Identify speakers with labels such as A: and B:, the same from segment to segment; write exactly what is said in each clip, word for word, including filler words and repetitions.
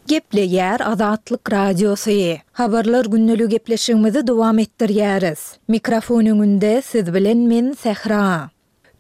A: Gepleýär Azatlyk Radiosy. Habarlar gündeligi gepleşigimizi dowam etdirýäris. Mikrofon öňünde siz bilen men Sähra.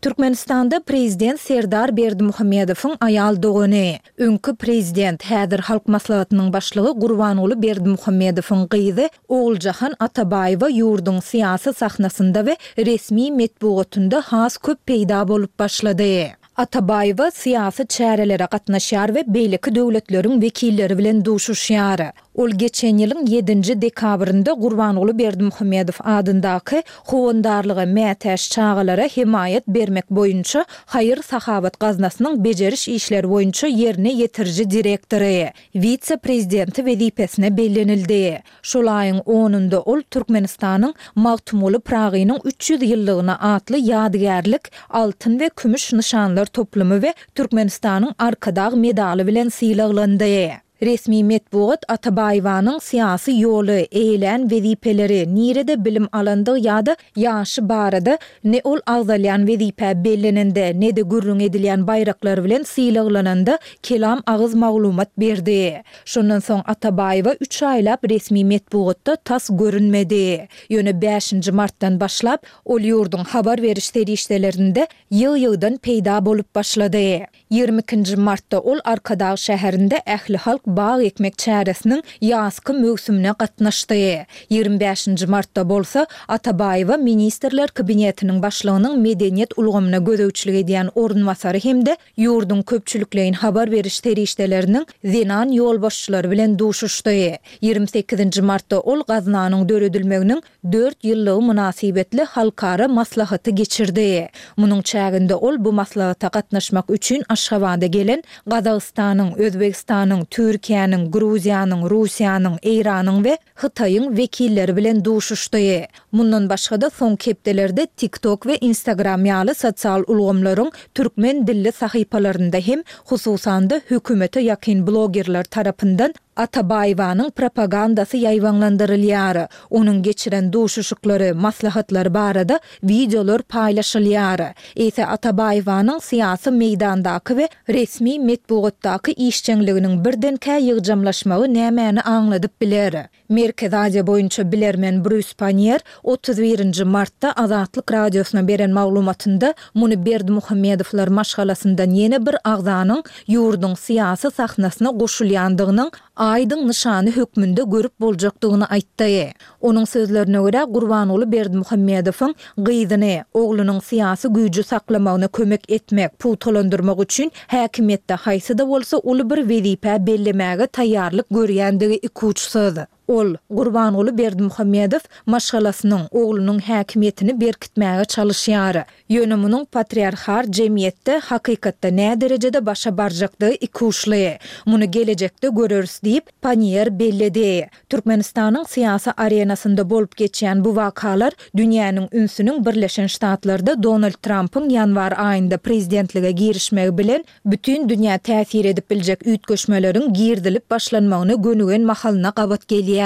A: Türkmenistanda prezident Serdar Berdimuhamedowyň aýal dogany, öňki prezident, häzir Halk Maslahatynyň başlygy Gurbanguly Berdimuhamedowyň gyzy Oguljahan Atabaýewa ýurduň syýasy sahnasynda we resmi metbugatynda has köp peýda bolup başlady. Atabaýewa syýasy çärelere gatnaşýar we beýleki döwletleriň wekilleri bilen duşuşýar. Ol geçen ýylyň ýedinji dekabrynda Gurbanguly Berdimuhamedow adyndaky howandarlyga mätäç çagalara hemaýat bermek boýunça haýyr-sahawat gaznasynyň bejeriş işleri boýunça ýerine ýetiriji direktory, wise-prezidenti wezipesine bellenildi. Şol aýyň onunda ol Türkmenistanyň Magtymguly Pyragynyň üç ýüz ýyllygyna atly ýadygärlik altyn we kümüş nyşanlar toplumy we Türkmenistanyň Arkadag medaly bilen sylaglandy. Resmi metbugat Atabaýewanyň syýasy ýoly, eýelän wezipeleri, nirede bilim alandygy ýa-da ýaşy barada ne ol agzalýan wezipä bellenende, ne-de gürrüň edilýän baýraklar bilen sylaglananda kelam agyz maglumat berdi. Şondan soň Atabaýewa üç aýlap resmi metbugatda tas görünmedi. Ýöne bäşinji martdan başlap, ol ýurduň habar beriş serişdelerinde ýygy-ýygydan peýda bolup başlady. Ýigrimi ikinji martda ol Arkadag şäherinde ählihalk bag ekmek çäresiniň ýazky möwsümine gatnaşdy. Ýigrimi bäşinji martda bolsa Atabaýewa Ministrler Kabinetiniň başlygynyň medeniýet ulgamyna gözegçilik edýän orunbasary hem-de ýurduň köpçülikleýin habar beriş serişdeleriniň zenan ýolbaşçylary bilen duşuşdy. Ýigrimi sekizinji martda ol gaznanyň döredilmeginiň dört ýyllygy mynasybetli halkara maslahaty geçirdi. Munuň çäginde ol bu maslahata gatnaşmak üçin Aşgabada gelen Gazagystanyň, Özbegistanyň, Türkiýäniň, Gruziýanyň, Russiýanyň, Eýranyň we Hytaýyň wekilleri bilen duşuşdy. Mundan başga-da, soňky hepdelerde TikTok we Instagram ýaly sosial ulgamlaryň türkmen dilli sahypalarynda hem, hususan-da, hökümete ýakyn blogerler tarapyndan Atabaýewanyň propagandasy ýaýbaňlandyrylýar. Onuň geçiren duşuşyklary, maslahatlary barada wideolar paýlaşylýar. Eýse Atabaýewanyň syýasy meýdandaky we resmi metbugatdaky işjeňliginiň birdenkä ýygjamlaşmagy nämäni aňladyp biler? Merkezi Aziýa boýunça bilermen Brýus Panniýer otuz birinji martda Azatlyk Radiosyna beren maglumatynda muny Berdimuhamedowlar maşgalasyndan ýene bir agzanyň ýurduň syýasy sahnasyna goşulýandygynyň aýdyň nyşany hökmünde görüp boljakdygyny aýtdy. Onuň sözlerine görä, Gurbanguly Berdimuhamedowyň gyzyny, oglunyň syýasy güýji saklamagyna kömek etmek, pugtalandyrmak üçin häkimiýetde haýsy-da bolsa uly bir wezipä bellemäge taýýarlyk görýändigi ikuçsuz. Ol, Gurbanguly Berdimuhamedow, maşgalasynyň, oglunyň häkimiýetini berkitmäge çalyşýar. Ýöne munuň patriarhar jemgyýetde hakykatda näderejede başa barjakdygy ikuçly. Muny gelejekde göreris diýip, Panniýer belledi. Türkmenistanyň syýasy arenasynda bolup geçýän bu wakalar dünýäniň ünsüniň Birleşen Ştatlarda Donald Trampyň ýanwar aýynda prezidentlige girişmegi bilen bütin dünýä täsir edip biljek üýtgeşmeleriň girizilip başlanmagyna gönügen mahalyna gabat gelýär.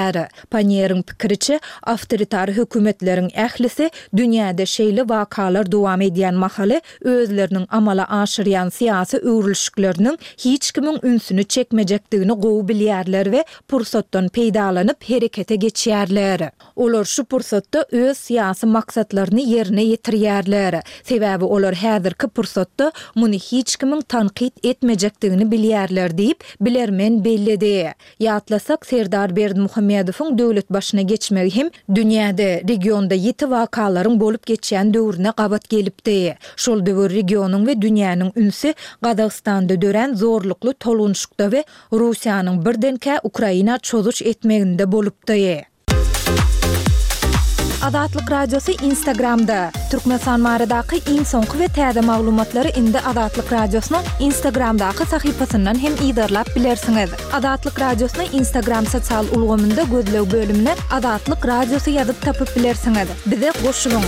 A: Panniýeriň pikiriçe, awtoritar hökümetleriň ählisi dünýäde şeýle wakalar dowam edýän mahaly özleriniň amala aşyrýan syýasy öwrülişikleriniň hiç kimiň ünsüni çekmejekdigini gowy bilýärler we pursatdan peýdalanyp herekete geçýärler. Olar şu pursatda öz syýasy maksatlaryny ýerine ýetirýärler. Sebäbi olar häzirki pursatda muny hiç kimiň tankyt etmejekdigini bilýärler diýip, bilermen belledi. Ýatlasak, Serdar Berdimuhamedowyň döwlet başyna geçmegi hem dünýäde, regionda ýiti wakalaryň bolup geçýän döwrüne gabat gelipdi. Şol döwür regionyň we dünýäniň ünsi Gazagystanda dörän zorlukly tolgunyşykda we Russiýanyň birdenkä Ukraina çozuş etmeginde bolupdy. Azatlyk Radiosy Instagramda, Türkmenistan baradaky iň soňky we täze maglumatlary indi Azatlyk Radiosynyň Instagramdaky sahypasyndan hem yzarlap bilersiňiz. Azatlyk Radiosyny Instagram sosial ulgamynda gözleg bölümine Azatlyk Radiosy ýazyp tapyp bilersiňiz. Bize goşulyň!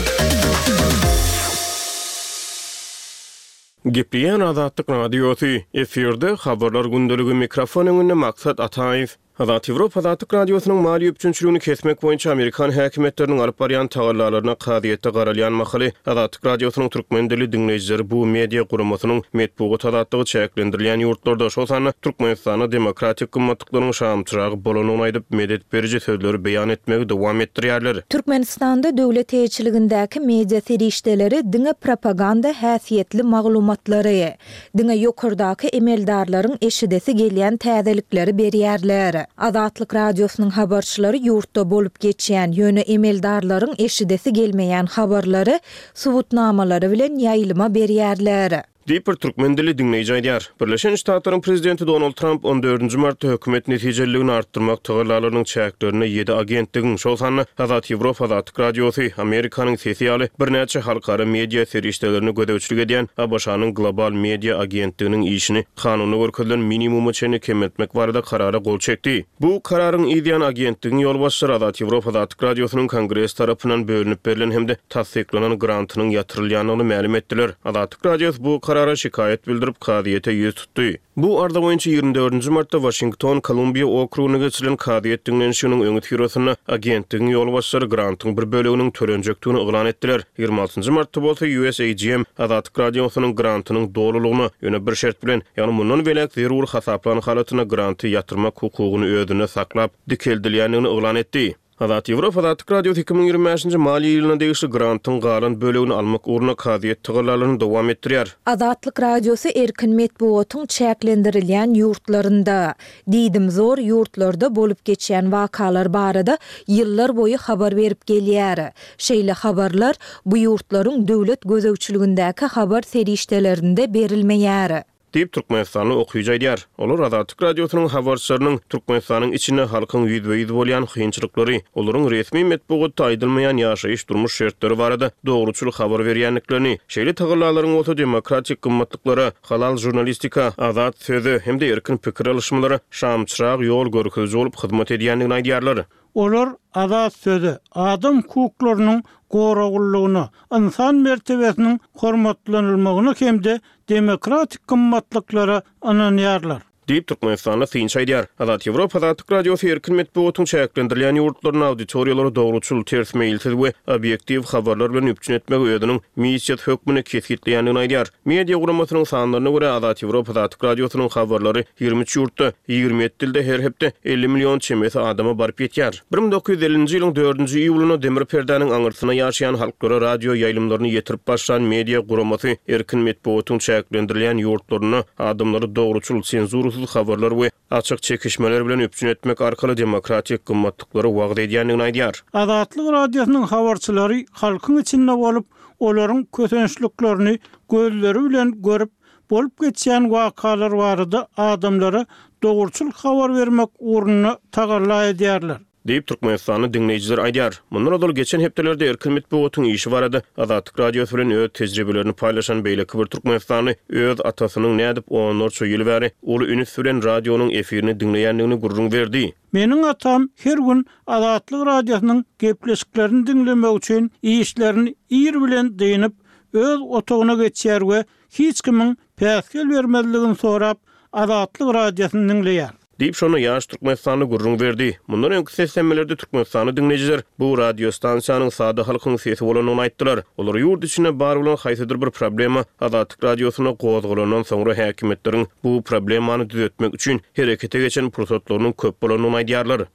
B: Gepleýän Azatlyk Radiosy, efirde Habarlar gündeligi, mikrofon öňünde Maksat Ataýew. Azat Ýewropa Azatlyk Radiosynyň maliýe üpjünçiligini kesmek boýunça amerikan häkimiýetleriniň alyp barýan tagallalaryna kazyýetde garalýan mahaly Azatlyk Radiosynyň türkmen dilli diňleýjileri bu media guramasynyň metbugat azatlygy çäklendirilýän ýurtlarda, şol sanda Türkmenistanda demokratik gymmatlyklaryň şamçyragy bolandygyny aýdyp, medet beriji sözleri beýan etmegi dowam etdirýärler.
A: Türkmenistanda döwlet eýeçiligindäki media serişdeleri diňe propaganda häsiýetli maglumatlary, diňe ýokardaky emeldarlaryň eşidesi gelýän täzelikleri berýärler. Azatlyk Radiosynyň habarçylary ýurtda bolup geçýän, ýöne emeldarlaryň eşidesi gelmeýän habarlary subutnamalary bilen ýaýlyma berýärler.
B: Diýip, bir türkmen dilli diňleýji aýdýar. Birleşen Ştatlaryň prezidenti Donald Tramp on dördünji martda hökümet netijeliligini artdyrmak tagallalarynyň çäklerinde ýedi agentligiň, şol sanda Azat Ýewropa Azatlyk Radiosy, Amerikanyň Sesi ýaly birnäçe halkara media serişdelerini gözegçilik edýän ABŞ-nyň Global Media agentliginiň işini kanunda görkezilen minimuma çenli kemeltmek barada karara gol çekdi. Bu kararyň yzýany agentligiň ýolbaşçylary Azat Ýewropa Azatlyk Radiosynyň Kongres tarapyndan bölünip berlen hem-de tassyklanan grantynyň ýatyrylýandygyny mälim etdiler. Azatlyk Radiosy bu karara şikaýat bildirip, kazyýete ýüz tutdy. Bu arza boýunça ýigrimi dördünji martda Waşington, Kolumbiýa okrugynda geçirilen kazyýet diňlenişiginiň öňüsyrasynda agentligiň ýolbaşçylary grantyň bir böleginiň tölenjekdigini yglan etdiler. Ýigrimi altynjy martda bolsa U S A G M Azatlyk Radiosynyň grantynyň dolulygyna, ýöne bir şert bilen, ýagny mundan beýläk zerur hasaplan halatynda granty ýatyrmak hukugyny özünde saklap dikeldilýändigini yglan etdi. Azat Ýewropa Azatlyk Radiosy iki müň ýigrimi bäşinji maliýe ýylyna degişli grantyň galan bölegini almak ugrunda kazyýet tagallalaryny dowam etdirýär.
A: Azatlyk Radiosy erkin metbugatyň çäklendirilýän ýurtlarynda, diýdimzor ýurtlarda bolup geçýän wakalar barada ýyllar boýy habar berip gelýär. Şeýle habarlar bu ýurtlaryň döwlet gözegçiligindäki habar serişdelerinde berilmeýär.
B: Diýip Türkmenistanly okyjy aýdýar. Olar Azatlyk Radiosynyň habarçylarynyň Türkmenistanyň içinde halkyň ýüzbe-ýüz bolýan kynçylyklary, olaryň resmi metbugatda aýdylmaýan ýaşaýyş durmuş şertleri barada dogruçyl habar berýändiklerini, şeýle tagallalaryň bolsa demokratik gymmatlyklara, halal žurnalistika, azat söze hem-de erkin pikir alyşmalara şamçyrag ýol görkeziji bolup hyzmat edýändigini aýdýarlar.
C: Olar azat söze, adam hukuklarynyň goraglylygyna, insan mertebesiniň hormatlanylmagyna hem-de demokratik gymmatlyklara ynanýarlar.
B: Diýip Türkmenistanda synçy aýdýar. Azat Ýewropa Azatlyk Radiosy erkin metbugatyň çäklendirilýän ýurtlaryny auditoriýalary dogruçyl, ters meýilsiz we obýektiw habarlar bilen üpjün etmegi özüniň missiýasy hökmünde kesgitleýändigini aýdýar. Media guramasynyň sanlaryna görä Azat Ýewropa Azatlyk Radiosynyň habarlary ýigrimi üç ýurtda, ýigrimi ýedi dilde her hepde elli million çemesi adama baryp ýetýär. bir müň dokuz ýüz ellinji ýylyň dördünji iýulynda demir perdäniň aňyrsyna ýaşaýan halklara radio ýaýlymlaryny ýetirip başlan media guramasy erkin metbugatyň çäklendirilýän ýurtlarynda adamlary dogruçyl, senzurasyz habarlar we açyk çekişmeler bilen üpjün etmek arkaly demokratik gymmatlyklary wagyz edýändigini aýdýar.
C: Azatlyk Radiosynyň habarçylary halkyň içinde bolup, olaryň kösençliklerini gözleri bilen görüp, bolup geçýän wakalar barada adamlara dogruçyl habar bermek ugrunda tagalla edýärler.
B: Diýip Türkmenistanyň diňleýjiler aýdýar. Mundan ozal geçen hepdelerde erkin metbugatyň işi barada Azatlyk Radiosy bilen öz tejribelerini paýlaşan beýleki bir Türkmenistanly öz atasynyň nädip onlarça ýyl bäri uly üns bilen radionyň efirini diňleýändigini gürrüň berdi.
C: Meniň atam her gün Azatlyk Radiosynyň gepleşiklerini diňlemek üçin işlerini ir bilen dynyp, öz otagyna geçýär we hiç kimiň päsgel bermezligini sorap Azatlyk Radiosyny diňleýär.
B: Diýip şonda ýaş Türkmenistanly gürrüň berdi. Mundan öňki seslenmelerde Türkmenistany diňleýjiler bu radio stansiýanyň sada halkyň sesi bolandygyny aýtdylar. Olar ýurt içinde bar bolan haýsydyr bir problema Azatlyk Radiosyna gozgalandan soňra häkimiýetleriň bu problemany düzetmek üçin herekete geçen pursatlarynyň köp bolandygyny aýdýarlar.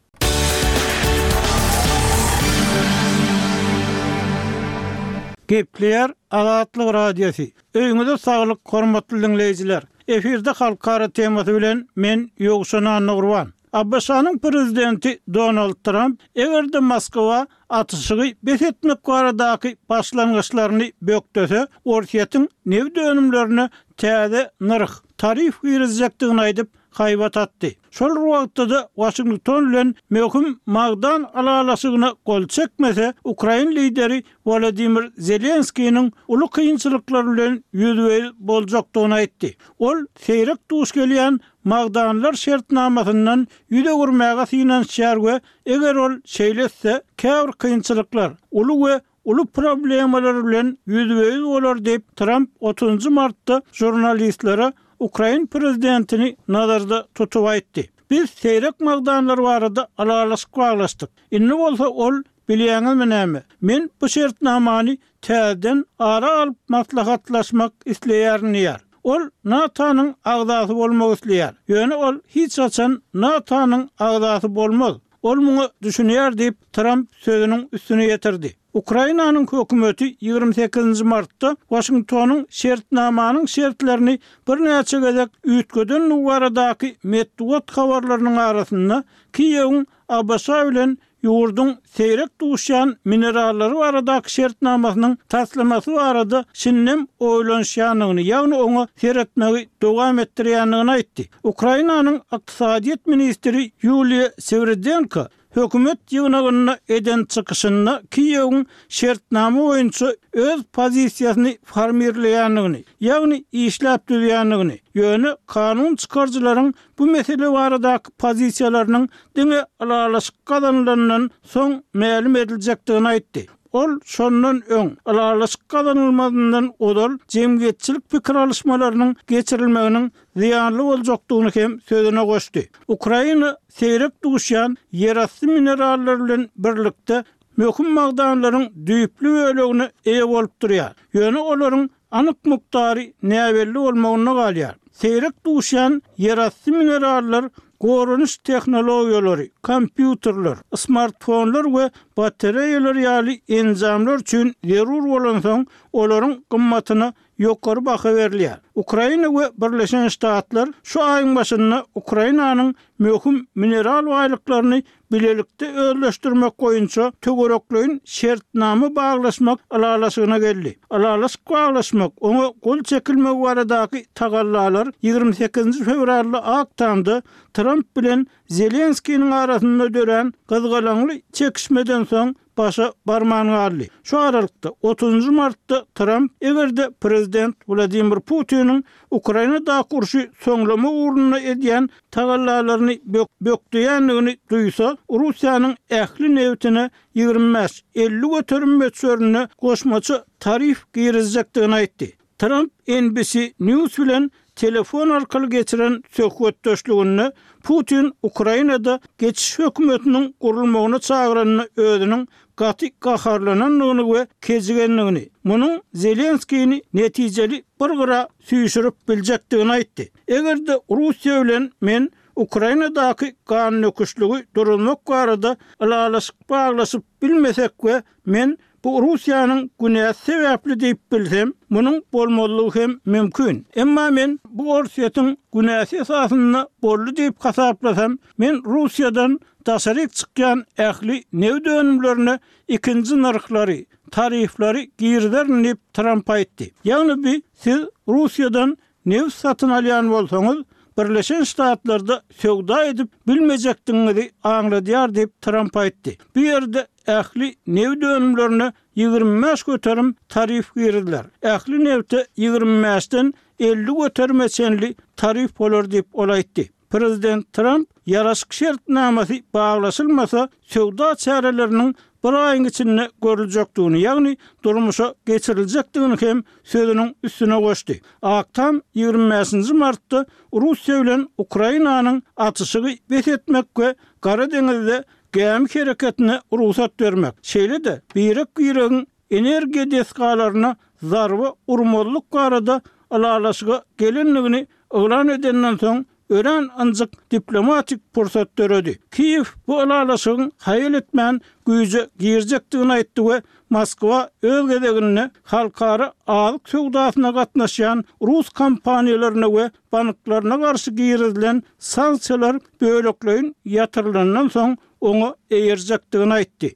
C: Gepleýär Azatlyk Radiosy. Öýüňize saglyk, hormatly diňleýjiler. Efirde halkara temasy bilen men Ýowşan Annagurban. ABŞ-nyň prezidenti Donald Tramp eger-de Moskwa atyşygy bes etmek baradaky başlangyçlaryny bökdese, Orsýetiň nebit önümlerine täze nyrh, tarif girizjekdigini aýdyp, haýbat atdy. Şol wagtda-da Waşington bilen möhüm magdan ylalaşygyna gol çekmese, Ukrain lideri Wladimir Zelenskiniň uly kynçylyklar bilen ýüzbe-ýüz boljakdygyny aýtdy. Ol seýrek duş gelýän magdanlar şertnamasyndan ýüz öwürmäge synanyşýar we eger ol şeýle etse, käbir kynçylyklar, uly we uly problemalar bilen ýüzbe-ýüz bolar diýip Tramp otuzynjy martda žurnalistlere Ukrain prezidentini nazarda tutup aýtdy. Biz seýrek magdanlar barada ylalaşyk baglaşdyk. Indi bolsa ol, Bilýäňizmi näme, men bu şertnamany täzeden ara alyp maslahatlaşmak isleýärin diýýär. Ol NATO-nyň agzasy bolmak isleýär. Ýöne ol hiç haçan NATO-nyň agzasy bolmaz. Ol muňa düşünýär diýip, Tramp sözüniň üstüni ýetirdi. Ukrainanyň hökümeti ýigrimi sekizinji martda Waşingtonyň şertnamanyň şertlerini birnäçe gezek üýtgedendigi baradaky metbugat habarlarynyň arasynda Kiýewiň ABŞ bilen ýurduň seýrek duşýan minerallary baradaky şertnamasynyň taslamasy barada şindem oýlanyşýandygyny, ýagny oňa seretmegi dowam etdirýändigini aýtdy. Ukrainanyň ykdysadyýet ministri Ýuliýa Swiridenko hökümet ýygnagynda eden çykyşynda Kiýewiň şertnama boýunça öz pozisiýasyny formirleýändigini, ýagny işläp düzýändigini, ýöne kanun çykaryjylaryň bu mesele baradaky pozisiýalarynyň diňe ylalaşyk gazanylandan soň mälim ediljekdigini aýtdy. Ol şondan öň, ylalaşyk gazanylmazyndan ozal jemgyýetçilik pikir alyşmalarynyň geçirilmeginiň zyýanly boljakdygyny hem sözüne goşdy. Ukraina seýrek duşýan ýerasty minerallar bilen birlikde möhüm magdanlaryň düýpli bölegine eýe bolup durýar. Ýöne olaryň anyk mukdary näbelli bolmagynda galýar. Seýrek duşýan ýerasty minerallar goranyş tehnologiýalary, kompýuterler, smartfonlar we batareýalar ýaly enjamlar üçin zerur bolansoň, olaryň gymmatyna ýokary baha berilýär. Ukraina we Birleşen Ştatlar şu aýyň başynda Ukrainanyň möhüm mineral baýlyklaryny bilelikde özleşdirmek boýunça töwerekleýin şertnama baglaşmak ylalaşygyna geldi. Ylalaşyk baglaşmak, oňa gol çekilmegi baradaky tagallalar ýigrimi sekizinji fewralda Ak Tamda Tramp bilen Zelenskiniň arasynda dörän gyzgalaňly çekişmeden soň başa barman galdy. Şu aralykda, otuzynjy martda Tramp, eger-de prezident Wladimir Putiniň Ukrainadaky urşy soňlamak ugrunda edýän tagallalaryny bökdeýändigini duýsa, Russiýanyň ähli nebitine ýigrimi bäş, elli göterim möçberinde goşmaça tarif girizjekdigini aýtdy. Tramp N B C News bilen telefon arkaly geçiren söhbetdeşliginde Putin Ukrainada geçiş hökümetiniň gurulmagyna çagyranyny özüniň gaty gaharlanandygyny we kejigendigini, munuň Zelenskini netijeli bir gyra süýşürip biljekdigini aýtdy. Eger-de Russiýa bilen men Ukrainadaky gandöküşligi duruzmak barada ylalaşyk baglaşyp bilmesek we men bu Russiýanyň günäsi sebäpli diýip bilsem, munuň bolmazlygy hem mümkin. Emma men bu Orsýetiň günäsi esasynda boldy diýip hasaplasam, men Russiýadan daşaryk çykýan ähli neft önümlerine ikinji nyrhlary, tarifleri girizerin diýip Tramp aýtdy. Ýagny bi siz Russiýadan neft satyn alýan bolsaňyz, Birleşen Ştatlarda söwda edip bilmejekdigiňizi aňladýar diýip Tramp aýtdy. Bu ýerde ähli neft önümlerine ýigrimi bäş göterim tarif girizler. Ähli nefte ýigrimi bäşden elli göterime çenli tarif bolar diýip ol aýtdy. Prezident Tramp ýaraşyk şertnamasy baglaşylmasa söwda çäreleriniň bir aýyň içinde görüljekdigini, ýagny durmuşa geçiriljekdigini hem sözüniň üstüne goşdy. Ak Tam ýigrimi bäşinji martda Russiýa bilen Ukrainanyň atyşygy bes etmek we Gara deňizde gämi hereketine rugsat bermek, şeýle-de birek-biregiň energiýa desgalaryna zarba urmazlyk barada ylalaşyga gelendigini yglan edenden soň örän ynjyk diplomatik pursat döredi. Kiýew bu ylalaşygyň haýal etmän güýje girjekdigini aýtdy we Moskwa öz gezeginde halkara azyk söwdasyna gatnaşýan rus kompaniýalaryna we banklaryna garşy girizilen sanksiýalar bölekleýin ýatyrylandan soň oňa eýerjekdigini aýtdy.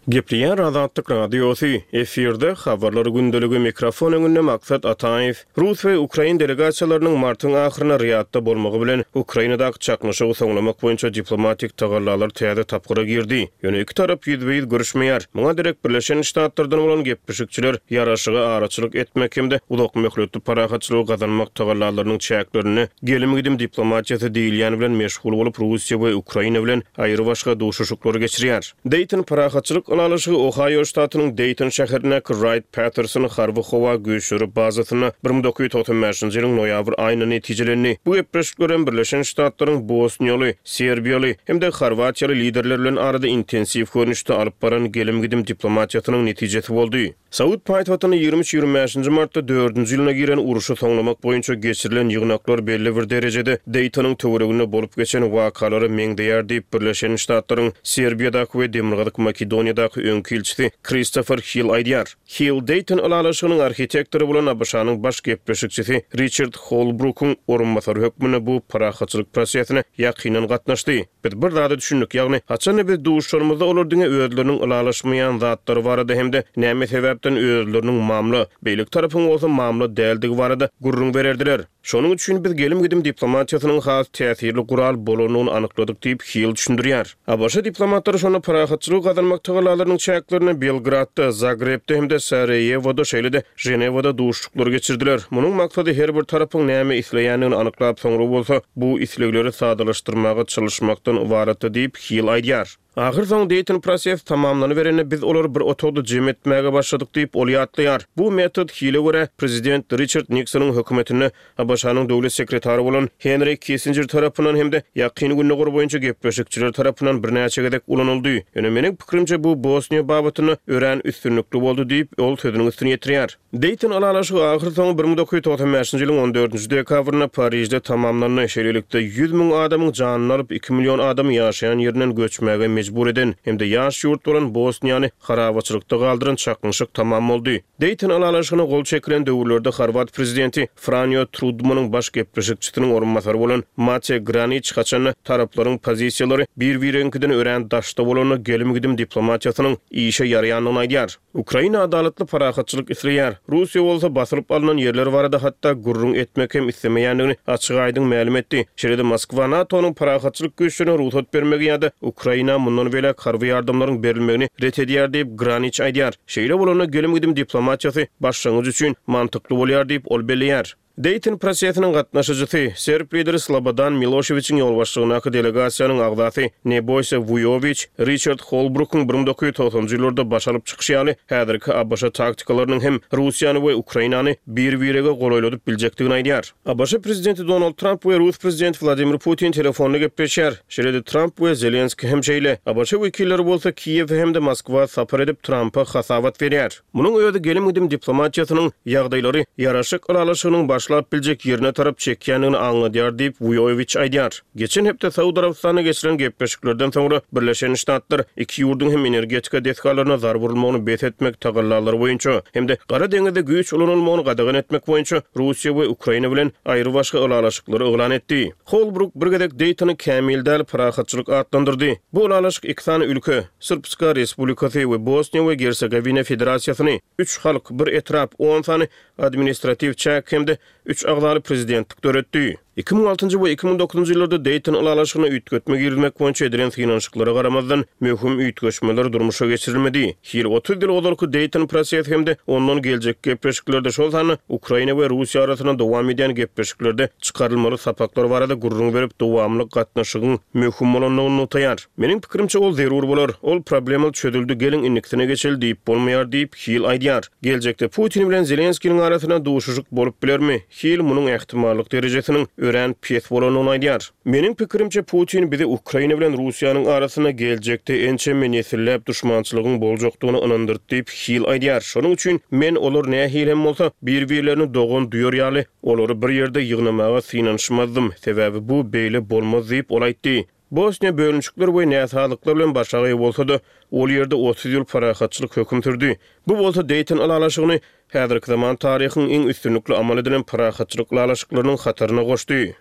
B: Gepleýär Azatlyk Radiosy, efirde habarlar gündeligi, mikrofon öňünde Maksat Ataýew. Rus we ukrain delegasiýalarynyň martyň ahyryna Riýadda bolmagy bilen Ukrainadaky çaknyşygy soňlamak boýunça diplomatik tagallalar täze tapgyra girdi. Ýöne iki tarap ýüzbe-ýüz görüşmeýär. Muňa derek Birleşen Ştatlardan bolan gepleşikçiler ýaraşyga araçylyk etmek hem-de uzak möhletli parahatçylygy gazanmak tagallalarynyň çäklerinde gelim-gidim diplomatiýasy diýilýän bilen meşgul bolup Russiýa we Ukraina bilen aýry başga duşuşyklary geçirýär. Dayton parahatçylyk ylalaşygy Ohaýo ştatynyň Deýton şäherindäki Raýt-Patterson harby-howa güýçleri bazasynda bir müň dokuz ýüz togsan bäşinji ýylyň noýabr aýynda netijelendi. Bu gepleşikler hem Birleşen Ştatlaryň bosniýaly, serbiýaly hem-de horwatiýaly liderler bilen arada intensiw görnüşde alyp baran gelim-gidim diplomatiýasynyň netijesi boldy. Saud paýtagtynda ýigrimi üç-ýigrimi bäşinji martda dördünji ýylyna giren urşy soňlamak boýunça geçirilen ýygnaklar belli bir derejede Deýtonyň töwereginde bolup geçen wakalara meňzeýär diýip, Birleşen Ştatlaryň Serbiýadaky we Demirgazyk Makedoniýadaky öňki ilçisi Kristofer Hill aýdýar. Hill Deýton ylalaşygynyň arhitektory bolan ABŞ-nyň baş gepleşikçisi Riçard Holbrukyň orunbasary hökmünde bu parahatçylyk prosesine ýakyndan gatnaşdy. Biz bir zada düşündik, ýagny haçan-da biz duşuşanymyzda olar diňe özleriniň ylalaşmaýan zatlary barada hem-de näme sebäpden özleriniň mamla, beýleki tarapyň bolsa mamla däldigi barada gürrüň bererdiler. Şonuň üçin biz gelim-gidim diplomatiýasynyň has täsirli gural bolandygyny anykladyk diýip, Hill düşündirýär. ABŞ diplomatlary şonda parahatçylygy gazanmak tagallalarynyň çäklerinde Belgradda, Zagrebde hem-de Saraýewoda, şeýle-de Ženewada duşuşyklary geçirdiler. Munuň maksady her bir tarapyň näme isleýändigini anyklap, soňra bolsa bu islegleri sadalaşdyrmaga çalyşmakdan ybaratdy diýip, Hill aýdýar. Ahyrsoňy Deýton prosesi tamamlanyberende biz olary bir otagda jem etmäge başladyk diýip, ol ýatlaýar. Bu metod Hille görä, prezident Riçard Niksonyň hökümetinde ABŞ-nyň döwlet sekretary bolan Henri Kissinjer tarapyndan hem-de Ýakyn Gündogar boýunça gepleşikçiler tarapyndan birnäçe gezek ulanyldy. Ýöne meniň pikirimçe bu Bosniýa babatynda örän üstünlikli boldy diýip, ol sözüniň üstüni ýetirýär. Deýton ylalaşygy ahyrsoňy bir müň dokuz ýüz togsan bäşinji ýylyň on dördünji dekabrynda Parižde tamamlandy. Şeýlelikde, ýüz müň adamyň janyny alyp, iki million adamy ýaşaýan ýerinden göçmäge mejbur eden hem-de ýaş ýurt bolan Bosniýany harabaçylykda galdyran çaknyşyk tamam boldy. Deýton ylalaşygyna gol çekilen döwürlerde horwat prezidenti Franýo Trudmanyň baş gepleşikçisiniň orunbasary bolan Mate Graniç haçanda taraplaryň pozisiýalary bir-biregiňkiden örän daşda bolanda gelim-gidim diplomatiýasynyň işe ýaraýandygyny aýdýar. Ukraina adalatly parahatçylyk isleýär. Russiýa bolsa basylyp alnan ýerler barada hatda gürrüň etmek hem islemeýändigini açyk-aýdyň mälim etdi. Şeýle-de Moskwa NATO-nyň parahatçylyk güýçlerine rugsat bermegi ýa-da Ukraina mundan beýläk harby ýardamlaryň berilmegini ret edýär diýip, Graniç aýdýar. Şeýle bolanda gelim-gidim diplomatiýasy başlangyç üçin mantykly bolýar diýip, ol belleýär. Deýton prosesiniň gatnaşyjysy, serb lideri Slobodan Miloşewiçiň ýolbaşçylygyndaky delegasiýanyň agzasy Neboýsa Wuýowiç Riçard Holbrukyň bir müň dokuz ýüz togsanjy ýyllarda baş alyp çykyşy ýaly häzirki ABŞ taktikalarynyň hem Russiýany we Ukrainany bir-birege golaýladyp biljekdigini aýdýar. ABŞ prezidenti Donald Tramp we rus prezidenti Wladimir Putin telefonda gepleşýär. Şeýle-de Tramp we Zelenskiý hem şeýle. ABŞ wekilleri bolsa Kiýewe hem-de Moskwa sapar edip Trampa hasabat berýär. Munuň özi gelim-gidim diplomatiýasynyň ýagdaýlary ýaraşyk ylalaşygynyň başlap biljek ýerine tarap çekýändigini aňladýar diýip, Wuýowiç aýdýar. Geçen hepde Saud Arabystanda geçirilen gepleşiklerden soňra Birleşen Ştatlar iki ýurduň hem energetika desgalaryna zarba urulmagyny bes etmek tagallalary boýunça hem-de Gara deňizde güýç ulanylmagyny gadagan etmek boýunça Russiýa we Ukraina bilen aýrybaşga ylalaşyklary yglan etdi. Holbruk bir gezek Deýtony kämil däl parahatçylyk atlandyrdy. Bu ylalaşyk iki sany ülke, Srpska Respublikasy we Bosniýa we Gersegowina Federasiýasyny, üç halk, bir etrap, on sany administratiw çäk hem-de üç agzaly prezidentlik döretdi. Iki müň altynjy we iki müň dokuzynjy ýyllarda Deýton ylalaşygyna üýtgetme girizmek boýunça edilen synanyşyklara garamazdan, möhüm üýtgeşmeler durmuşa geçirilmedi. Hil otuz ýyl ozalky Deýton prosesi hem-de ondan geljekki gepleşiklerde, şol sanda Ukraina we Russiýa arasynda dowam edýän gepleşiklerde çykarylmaly sapaklar barada gürrüň berip, dowamly gatnaşygyň möhüm bolandygyny nygtaýar. Meniň pikirimçe, ol zerur bolar. Ol problema çözüldi, geliň indikisine geçeli diýip bolmaýar diýip, Hill aýdýar. Geljekde Putin bilen Zelenskiniň arasynda duşuşyk bolup bilermi? Hill munuň ähtimallyk derejesiniň örän pes bolandygyny aýdýar. Meniň pikirimçe, Putin bizi Ukraina bilen Russiýanyň arasynda geljekde ençeme nesilläp duşmançylygyň boljakdygyna ynandyrdy diýip, Hill aýdýar. Şonuň üçin men olar nähili hem bolsa bir-birlerini dogan duýar ýaly, olary bir ýerde ýygnamaga synanyşmazdym, sebäbi bu beýle bolmaz diýip, ol aýtdy. Bosniýa bölünişikler we näsazlyklar bilen başagaý bolsa-da, ol ýerde otuz ýyl parahatçylyk höküm sürdi. Bu bolsa Deýton ylalaşygyny häzirki zaman taryhyň iň üstünlikli amal edilen parahatçylyk ylalaşyklarynyň hataryna goşdy.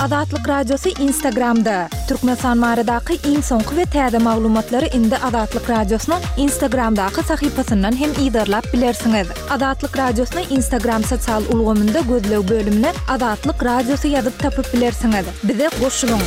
A: Azatlyk Radiosy Instagramda. Türkmenistan baradaky iň soňky we täze maglumatlary indi Azatlyk Radiosynyň Instagramdaky sahypasyndan hem yzarlap bilersiňiz. Azatlyk Radiosyny Instagram sosial ulgamynda gözleg bölümine Azatlyk Radiosy ýazyp tapyp bilersiňiz. Bize goşulyň!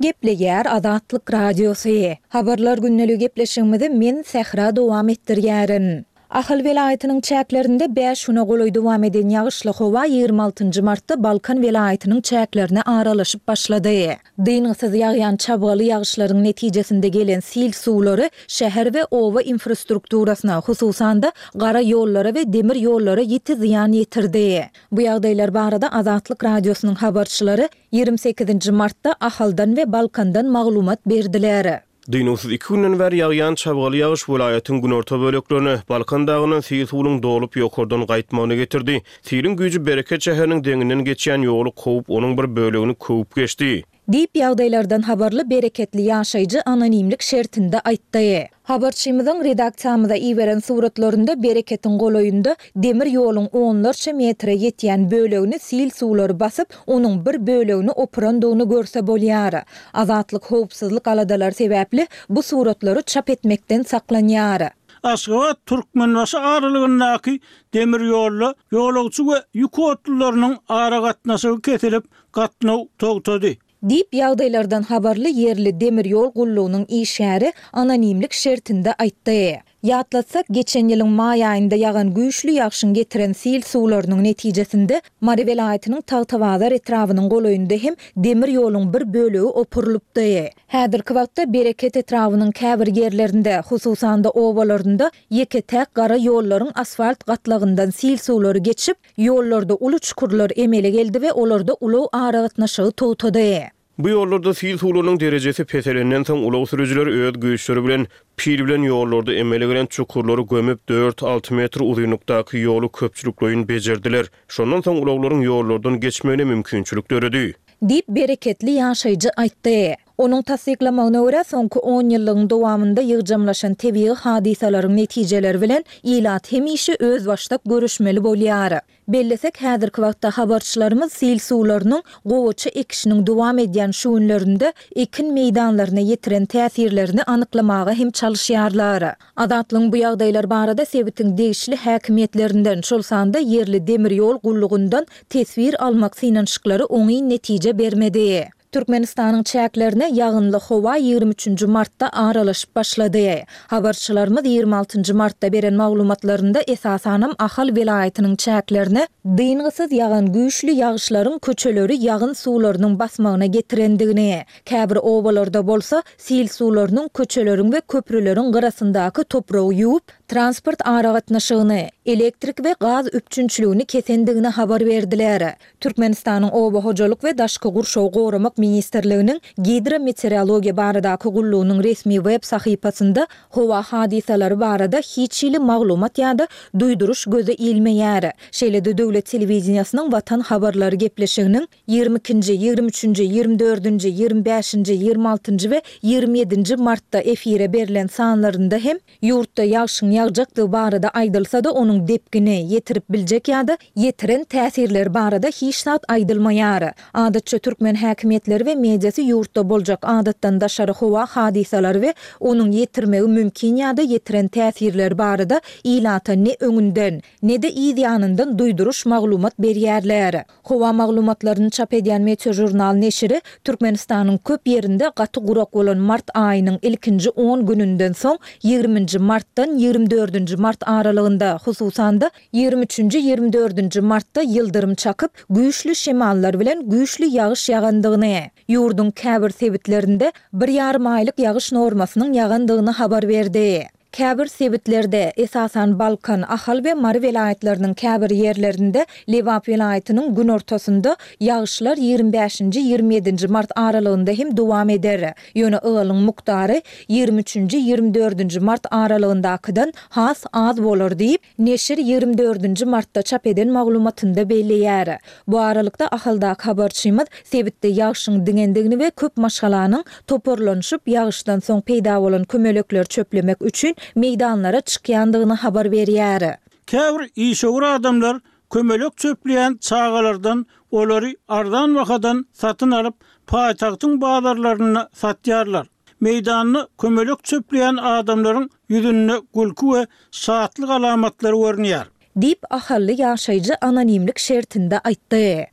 A: Gepleýär Azatlyk Radiosy. Habarlar gündeligi gepleşigimizi men Sähra dowam etdirýärin. Ahal welaýatynyň çäklerinde bäş güne golaý dowam eden ýagyşly howa ýigrimi altynjy martda Balkan welaýatynyň çäklerine aralaşyp başlady. Dyngysyz ýagýan çabgaly ýagyşlaryň netijesinde gelen sil suwlary şäher we oba infrastrukturasyna, hususan-da, gara ýollara we demir ýollara ýiti zyýan ýetirdi. Bu ýagdaýlar barada Azatlyk Radiosynyň habarçylary ýigrimi sekizinji martda Ahaldan we Balkandan maglumat berdiler.
B: Dynuwsyz iki günden bäri ýagýan çabgaly ýagyş welaýatyň günorta böleklerine, Balkan dagyndan sil suwunyň dolup ýokardan gaýtmagyna getirdi. Siliň güýji Bereket şäheriniň deňinden geçýän ýoly kowup, onuň bir bölegini köwüp geçdi.
A: Diýip, ýagdaýlardan habarly bereketli ýaşaýjy anonimlik şertinde aýtdy. Habarçymyzyň redaksiýamyza iberen suratlarynda Bereketiň golaýynda demir ýoluň onlarça metre ýetýän bölegini sil suwlary basyp, onuň bir bölegini opurandygyny görse bolýar. Azatlyk howpsuzlyk aladalary sebäpli bu suratlary çap etmekden saklanýar.
C: Aşgabat-Türkmenbaşy aralygyndaky demir ýolda ýolagçy we ýük otlularynyň aragatnaşygy kesilip, gatnaw togtady.
A: Diýip, ýagdaýlardan habarly ýerli demir ýol gullugynyň işgäri anonimlik şertinde aýtdy. Ýatlatsak, geçen ýylyň maý aýynda ýagan güýçli ýagşyň getiren sil suwlarynyň netijesinde Mary welaýatynyň Tagtabazar etrabynyň golaýynda hem demir ýoluň bir bölegi opurylypdy. Häzirki wagtda Bereket etrabynyň käbir ýerlerinde, hususan-da obalarynda ýeke-täk gara ýollaryň asfalt gatlagyndan sil suwlary geçip, Ýollarda uly çukurlar emele geldi we olarda ulag aragatnaşygy togtady.
B: Bu ýollarda sil suwlarynyň derejesi peselenden soň, ulag sürüjileri öz güýçleri bilen pil bilen ýollarda emele gelen çukurlary gömüp, dört-alty metr uzynlykdaky ýoly köpçülikleýin bejerdiler. Şondan soň ulaglaryň ýollardan geçmegine mümkinçilik döredi.
A: Diýip, bereketli ýaşaýjy aýtdy. Onuň tassyklamagyna görä, soňky onýyllygyň dowamynda ýygjamlaşan tebigy hadysalaryň netijeleri bilen ilat hemişe özbaşdak göreşmeli bolýar. Bellesek, häzirki wagtda habarçylarymyz sil suwlarynyň gowaça ekişiniň dowam edýän şu günlerinde ekin meýdanlaryna ýetiren täsirlerini anyklamaga hem çalyşýarlar. Azatlygyň bu ýagdaýlar barada sebitiň degişli häkimiýetlerinden, şol sanda ýerli demir ýol gullugyndan teswir almak synanyşyklary oňyn netije bermedi. Türkmenistanyň çäklerine ýagynly howa ýigrimi üçünji martda aralaşyp başlady. Habarçylarymyz ýigrimi altynjy martda beren maglumatlarynda esasanam Ahal welaýatynyň çäklerine dyngysyz ýagan güýçli ýagyşlaryň köçeleri ýagyn suwlarynyň basmagyna getirendigini, käbir obalarda bolsa sil suwlarynyň köçeleriň we köprüleriň gyrasyndaky topragy ýuwup, transport aragatnaşygyny, elektrik we gaz üpjünçiligini kesendigini habar berdiler. Türkmenistanyň Oba hojalyk we daşky gurşawy goramak ministrliginiň Gidrometeorologiýa baradaky gullugynyň resmi web sahypasynda howa hadysalary barada hiç hili maglumat ýa-da duýduryş göze ilmeýär. Şeýle-de döwlet telewideniýesiniň Watan habarlary gepleşiginiň ýigrimi ikinji, ýigrimi üçünji, ýigrimi dördünji, ýigrimi bäşinji, ýigrimi altynjy we ýigrimi ýedinji martda efire berlen sanlarynda hem ýurtda ýagşyň ýagjakdygy barada aýdylsa-da, onuň depgini, ýetirip biljek ýa-da ýetiren täsirleri barada hiç zat aýdylmaýar. Adatça türkmen häkimiýetleri we mediasy ýurtda boljak adatdan daşary howa hadysalary we onuň ýetirmegi mümkin ýa-da ýetiren täsirleri barada ilata ne öňünden, ne-de yz ýanyndan duýduryş maglumat berýärler. Howa maglumatlaryny çap edýän Meteožurnal neşiri Türkmenistanyň köp ýerinde gaty gurak bolan mart aýynyň ilkinji on gününden soň ýigriminji martdan ýigrimi dördünji mart aralygynda, hususan-da, ýigrimi üçünji, ýigrimi dördünji martda ýyldyrym çakyp, güýçli şemallar bilen güýçli ýagyş ýagandygyny, ýurduň käbir sebitlerinde bir ýarym aýlyk ýagyş normasynyň ýagandygyny habar berdi. Käbir sebitlerde, esasan Balkan, Ahal we Mary welaýatlarynyň käbir ýerlerinde, Lebap welaýatynyň günortasynda ýagyşlar ýigrimi bäşinji, ýigrimi ýedinji mart aralygynda hem dowam eder. Ýöne ygalyň mukdary ýigrimi üçünji, ýigrimi dördünji mart aralygyndakydan has az bolar diýip, neşir ýigrimi dördünji martda çap eden maglumatynda belleýär. Bu aralykda, Ahaldaky habarçymyz sebitde ýagşyň diňendigini we köp maşgalanyň toparlanyşyp, ýagyşdan soň peýda bolan kömelekleri çöplemek üçin meýdanlara çykýandygyny habar berýär.
C: Käbir işewür adamlar kömelek çöpleýän çagalardan olary arzan bahadan satyn alyp, paýtagtyň bazarlarynda satýarlar. Meýdanda kömelek çöpleýän adamlaryň ýüzünde gülki we şatlyk alamatlary görünýär.
A: Diýip, ahally ýaşaýjy anonimlik şertinde aýtdy.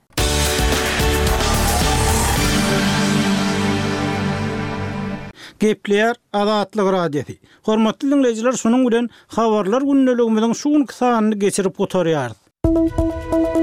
C: Gepleýär Azatlyk Radiosy. Hormatly diňleýjiler, şunuň bilen Habarlar gündeligimiziň şu günki sanyny geçirip gutarýarys.